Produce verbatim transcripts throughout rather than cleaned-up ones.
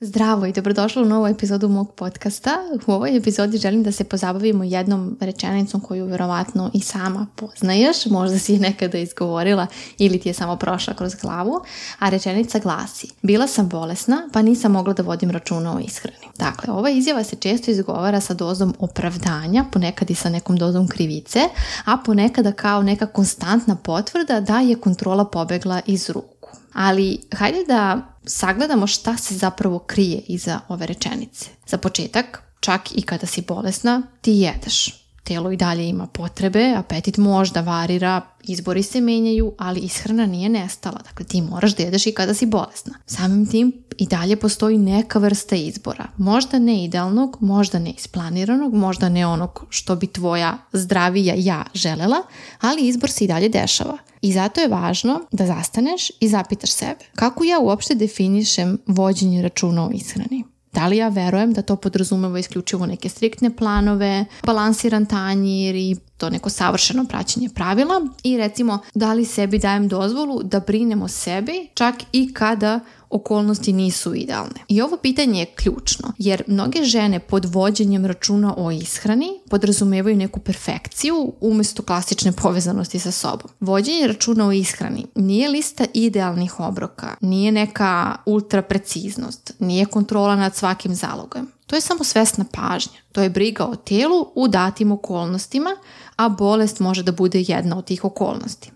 Zdravo i dobrodošla u novu epizodu mog podcasta. U ovoj epizodi želim da se pozabavimo jednom rečenicom koju verovatno i sama poznaješ, možda si je nekada izgovorila ili ti je samo prošla kroz glavu, a rečenica glasi: bila sam bolesna pa nisam mogla da vodim računa o ishrani. Dakle, ova izjava se često izgovara sa dozom opravdanja, ponekad i sa nekom dozom krivice, a ponekada kao neka konstantna potvrda da je kontrola pobegla iz ruku. Ali hajde da sagledamo šta se zapravo krije iza ove rečenice. Za početak, čak i kada si bolesna, ti jedeš. Telo i dalje ima potrebe, apetit možda varira, izbori se menjaju, ali ishrana nije nestala. Dakle, ti moraš da jedeš i kada si bolesna. Samim tim i dalje postoji neka vrsta izbora. Možda ne idealnog, možda ne isplaniranog, možda ne onog što bi tvoja zdravija ja želela, ali izbor se i dalje dešava. I zato je važno da zastaneš i zapitaš sebe: kako ja uopšte definišem vođenje računa o ishrani? Da li ja verujem da to podrazumeva isključivo neke striktne planove, balansiran tanjir i to neko savršeno praćenje pravila? I recimo, da li sebi dajem dozvolu da brinem o sebi čak i kada okolnosti nisu idealne? I ovo pitanje je ključno, jer mnoge žene pod vođenjem računa o ishrani podrazumevaju neku perfekciju umjesto klasične povezanosti sa sobom. Vođenje računa o ishrani nije lista idealnih obroka, nije neka ultra preciznost, nije kontrola nad svakim zalogom. To je samo svesna pažnja. To je briga o telu u datim okolnostima, a bolest može da bude jedna od tih okolnosti.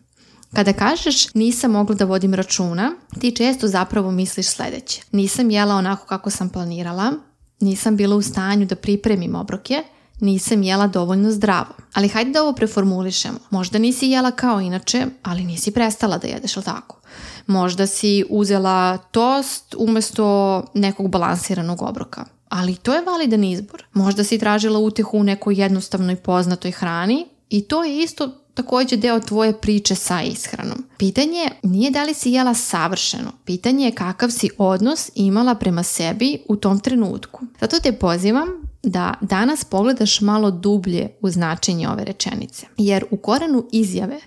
Kada kažeš nisam mogla da vodim računa, ti često zapravo misliš sljedeće: nisam jela onako kako sam planirala, nisam bila u stanju da pripremim obroke, nisam jela dovoljno zdravo. Ali hajde da ovo preformulišemo. Možda nisi jela kao inače, ali nisi prestala da jedeš, ili tako? Možda si uzela tost umjesto nekog balansiranog obroka. Ali to je validan izbor. Možda si tražila utjehu u nekoj jednostavnoj poznatoj hrani i to je isto također deo tvoje priče sa ishranom. Pitanje nije da li si jela savršeno. Pitanje je kakav si odnos imala prema sebi u tom trenutku. Zato te pozivam da danas pogledaš malo dublje u značenje ove rečenice. Jer u korenu izjave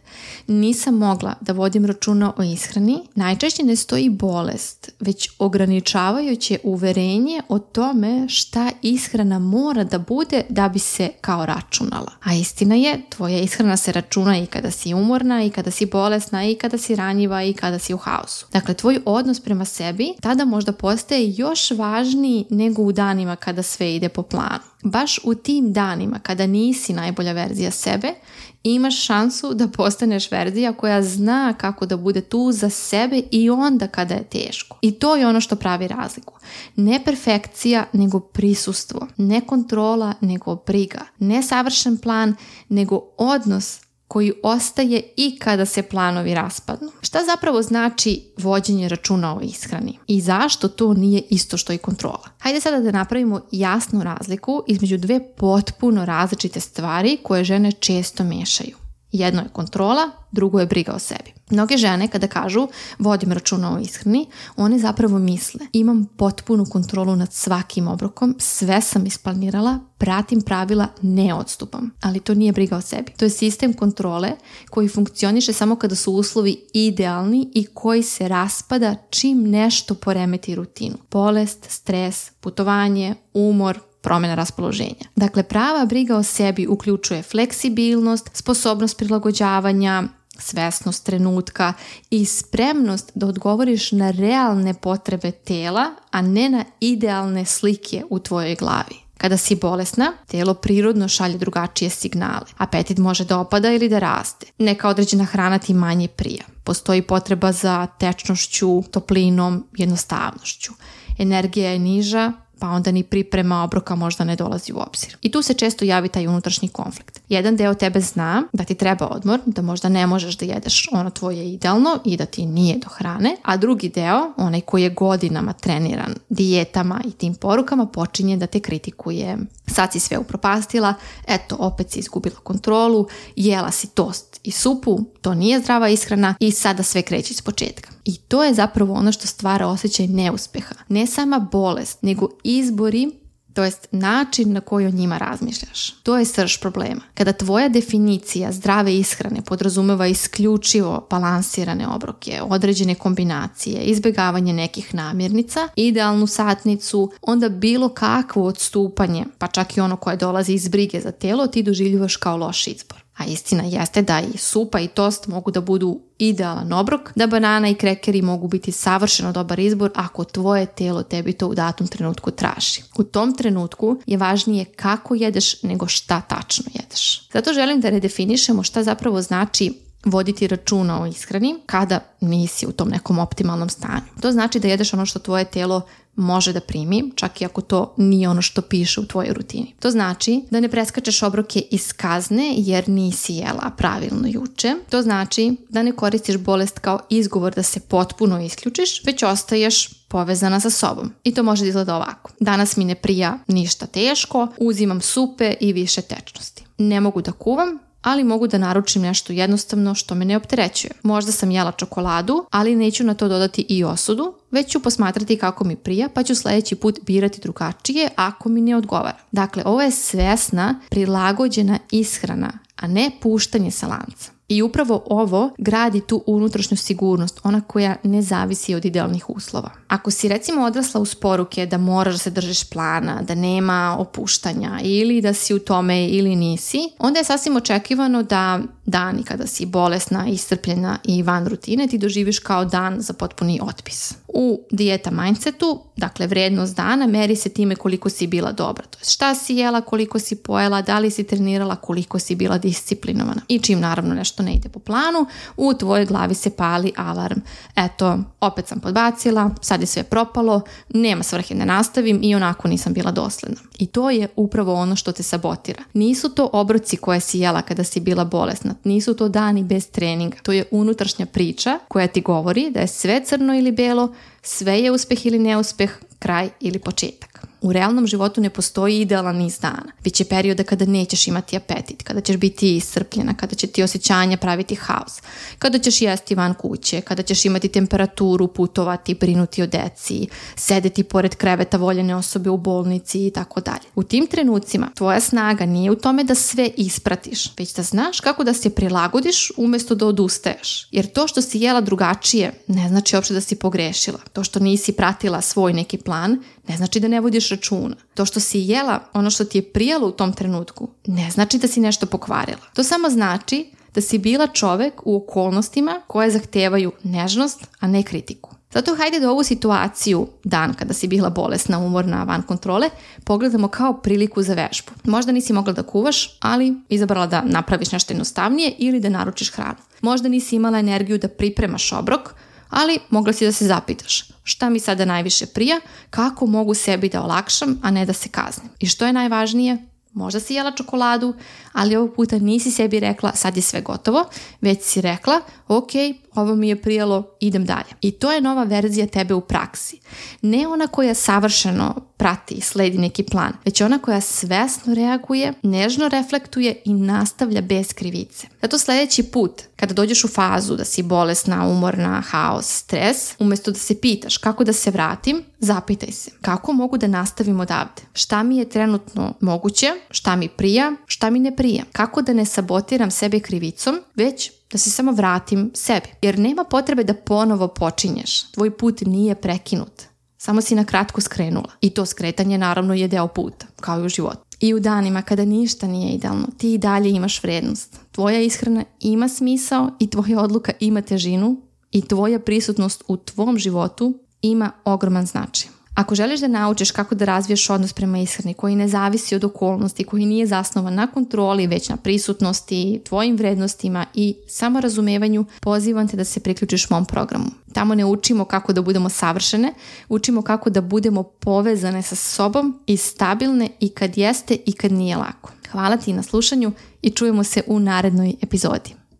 nisam mogla da vodim računa o ishrani najčešće ne stoji bolest, već ograničavajuće uverenje o tome šta ishrana mora da bude da bi se kao računala. A istina je, tvoja ishrana se računa i kada si umorna, i kada si bolesna, i kada si ranjiva, i kada si u haosu. Dakle, tvoj odnos prema sebi tada možda postaje još važniji nego u danima kada sve ide po planu. Baš u tim danima kada nisi najbolja verzija sebe, imaš šansu da postaneš verzija koja zna kako da bude tu za sebe i onda kada je teško. I to je ono što pravi razliku. Ne perfekcija, nego prisustvo. Ne kontrola, nego briga. Ne savršen plan, nego odnos koji ostaje i kada se planovi raspadnu. Šta zapravo znači vođenje računa o ishrani? I zašto to nije isto što i kontrola? Hajde sada da napravimo jasnu razliku između dve potpuno različite stvari koje žene često mešaju. Jedno je kontrola, drugo je briga o sebi. Mnoge žene kada kažu vodim računa o ishrani, one zapravo misle: imam potpunu kontrolu nad svakim obrokom, sve sam isplanirala, pratim pravila, ne odstupam. Ali to nije briga o sebi. To je sistem kontrole koji funkcioniše samo kada su uslovi idealni i koji se raspada čim nešto poremeti rutinu. Bolest, stres, putovanje, umor, promjena raspoloženja. Dakle, prava briga o sebi uključuje fleksibilnost, sposobnost prilagođavanja, svesnost trenutka i spremnost da odgovoriš na realne potrebe tela, a ne na idealne slike u tvojoj glavi. Kada si bolesna, telo prirodno šalje drugačije signale. Apetit može da opada ili da raste. Neka određena hrana ti manje prija. Postoji potreba za tečnošću, toplinom, jednostavnošću. Energija je niža, pa onda ni priprema obroka možda ne dolazi u obzir. I tu se često javi taj unutrašnji konflikt. Jedan deo tebe zna da ti treba odmor, da možda ne možeš da jedeš ono tvoje idealno i da ti nije do hrane, a drugi deo, onaj koji je godinama treniran dijetama i tim porukama, počinje da te kritikuje. Sad si sve upropastila, eto, opet si izgubila kontrolu, jela si tost i supu, to nije zdrava ishrana i sada sve kreće iz početka. I to je zapravo ono što stvara osjećaj neuspeha. Ne sama bolest, nego izbori to jest način na koji o njima razmišljaš. To je srž problema. Kada tvoja definicija zdrave ishrane podrazumeva isključivo balansirane obroke, određene kombinacije, izbjegavanje nekih namirnica, idealnu satnicu, onda bilo kakvo odstupanje, pa čak i ono koje dolazi iz brige za telo, ti doživljuvaš kao loš izbor. A istina jeste da i supa i tost mogu da budu idealan obrok, da banana i krekeri mogu biti savršeno dobar izbor ako tvoje telo tebi to u datom trenutku traži. U tom trenutku je važnije kako jedeš nego šta tačno jedeš. Zato želim da redefinišemo šta zapravo znači voditi računa o ishrani kada nisi u tom nekom optimalnom stanju. To znači da jedeš ono što tvoje telo može da primi, čak i ako to nije ono što piše u tvojoj rutini. To znači da ne preskačeš obroke iz kazne jer nisi jela pravilno juče. To znači da ne koristiš bolest kao izgovor da se potpuno isključiš, već ostaješ povezana sa sobom. I to može da izgleda ovako. Danas mi ne prija ništa teško, uzimam supe i više tečnosti. Ne mogu da kuvam, ali mogu da naručim nešto jednostavno što me ne opterećuje. Možda sam jela čokoladu, ali neću na to dodati i osudu, već ću posmatrati kako mi prija, pa ću sljedeći put birati drugačije ako mi ne odgovara. Dakle, ovo je svesna, prilagođena ishrana, a ne puštanje sa lanca. I upravo ovo gradi tu unutrašnju sigurnost, ona koja ne zavisi od idealnih uslova. Ako si recimo odrasla uz poruke da moraš da se držiš plana, da nema opuštanja ili da si u tome ili nisi, onda je sasvim očekivano da dani kada si bolesna, iscrpljena i van rutine ti doživiš kao dan za potpuni otpis. U dijeta mindsetu, dakle vrednost dana, meri se time koliko si bila dobra. To je šta si jela, koliko si pojela, da li si trenirala, koliko si bila disciplinovana. I čim naravno nešto ne ide po planu, u tvojoj glavi se pali alarm. Eto, opet sam podbacila, sad je sve propalo, nema svrhe da nastavim i onako nisam bila dosledna. I to je upravo ono što te sabotira. Nisu to obroci koje si jela kada si bila bolesna, nisu to dani bez treninga. To je unutrašnja priča koja ti govori da je sve crno ili belo, sve je uspeh ili neuspeh, kraj ili početak. U realnom životu ne postoji idealan niz dana. Biće perioda kada nećeš imati apetit, kada ćeš biti iscrpljena, kada će ti osjećanja praviti haos, kada ćeš jesti van kuće, kada ćeš imati temperaturu, putovati, brinuti o deci, sedeti pored kreveta voljene osobe u bolnici i tako dalje. U tim trenucima tvoja snaga nije u tome da sve ispratiš, već da znaš kako da se prilagodiš umjesto da odustaješ. Jer to što si jela drugačije ne znači uopšte da si pogrešila. To što nisi pratila svoj neki plan ne znači da ne vodiš računa. To što si jela ono što ti je prijalo u tom trenutku ne znači da si nešto pokvarila. To samo znači da si bila čovek u okolnostima koje zahtevaju nežnost, a ne kritiku. Zato hajde da ovu situaciju, dan kada si bila bolesna, umorna, van kontrole, pogledamo kao priliku za vežbu. Možda nisi mogla da kuvaš, ali izabrala da napraviš nešto jednostavnije ili da naručiš hranu. Možda nisi imala energiju da pripremaš obrok, ali mogla si da se zapitaš šta mi sada najviše prija, kako mogu sebi da olakšam, a ne da se kaznim. I što je najvažnije, možda si jela čokoladu, ali ovog puta nisi sebi rekla sad je sve gotovo, već si rekla ok, ovo mi je prijalo, idem dalje. I to je nova verzija tebe u praksi. Ne ona koja savršeno prati i sledi neki plan, već ona koja svesno reaguje, nežno reflektuje i nastavlja bez krivice. Zato sljedeći put, kada dođeš u fazu da si bolesna, umorna, haos, stres, umjesto da se pitaš kako da se vratim, zapitaj se kako mogu da nastavim odavde. Šta mi je trenutno moguće, šta mi prija, šta mi ne prija. Kako da ne sabotiram sebe krivicom, već da se samo vratim sebi. Jer nema potrebe da ponovo počinješ. Tvoj put nije prekinut. Samo si na kratko skrenula. I to skretanje naravno je deo puta, kao i u životu. I u danima kada ništa nije idealno, ti i dalje imaš vrednost. Tvoja ishrana ima smisao i tvoja odluka ima težinu i tvoja prisutnost u tvom životu ima ogroman značaj. Ako želiš da naučiš kako da razviješ odnos prema ishrani koji ne zavisi od okolnosti, koji nije zasnovan na kontroli, već na prisutnosti, tvojim vrednostima i samorazumevanju, pozivam te da se priključiš mom programu. Tamo ne učimo kako da budemo savršene, učimo kako da budemo povezane sa sobom i stabilne i kad jeste i kad nije lako. Hvala ti na slušanju i čujemo se u narednoj epizodi.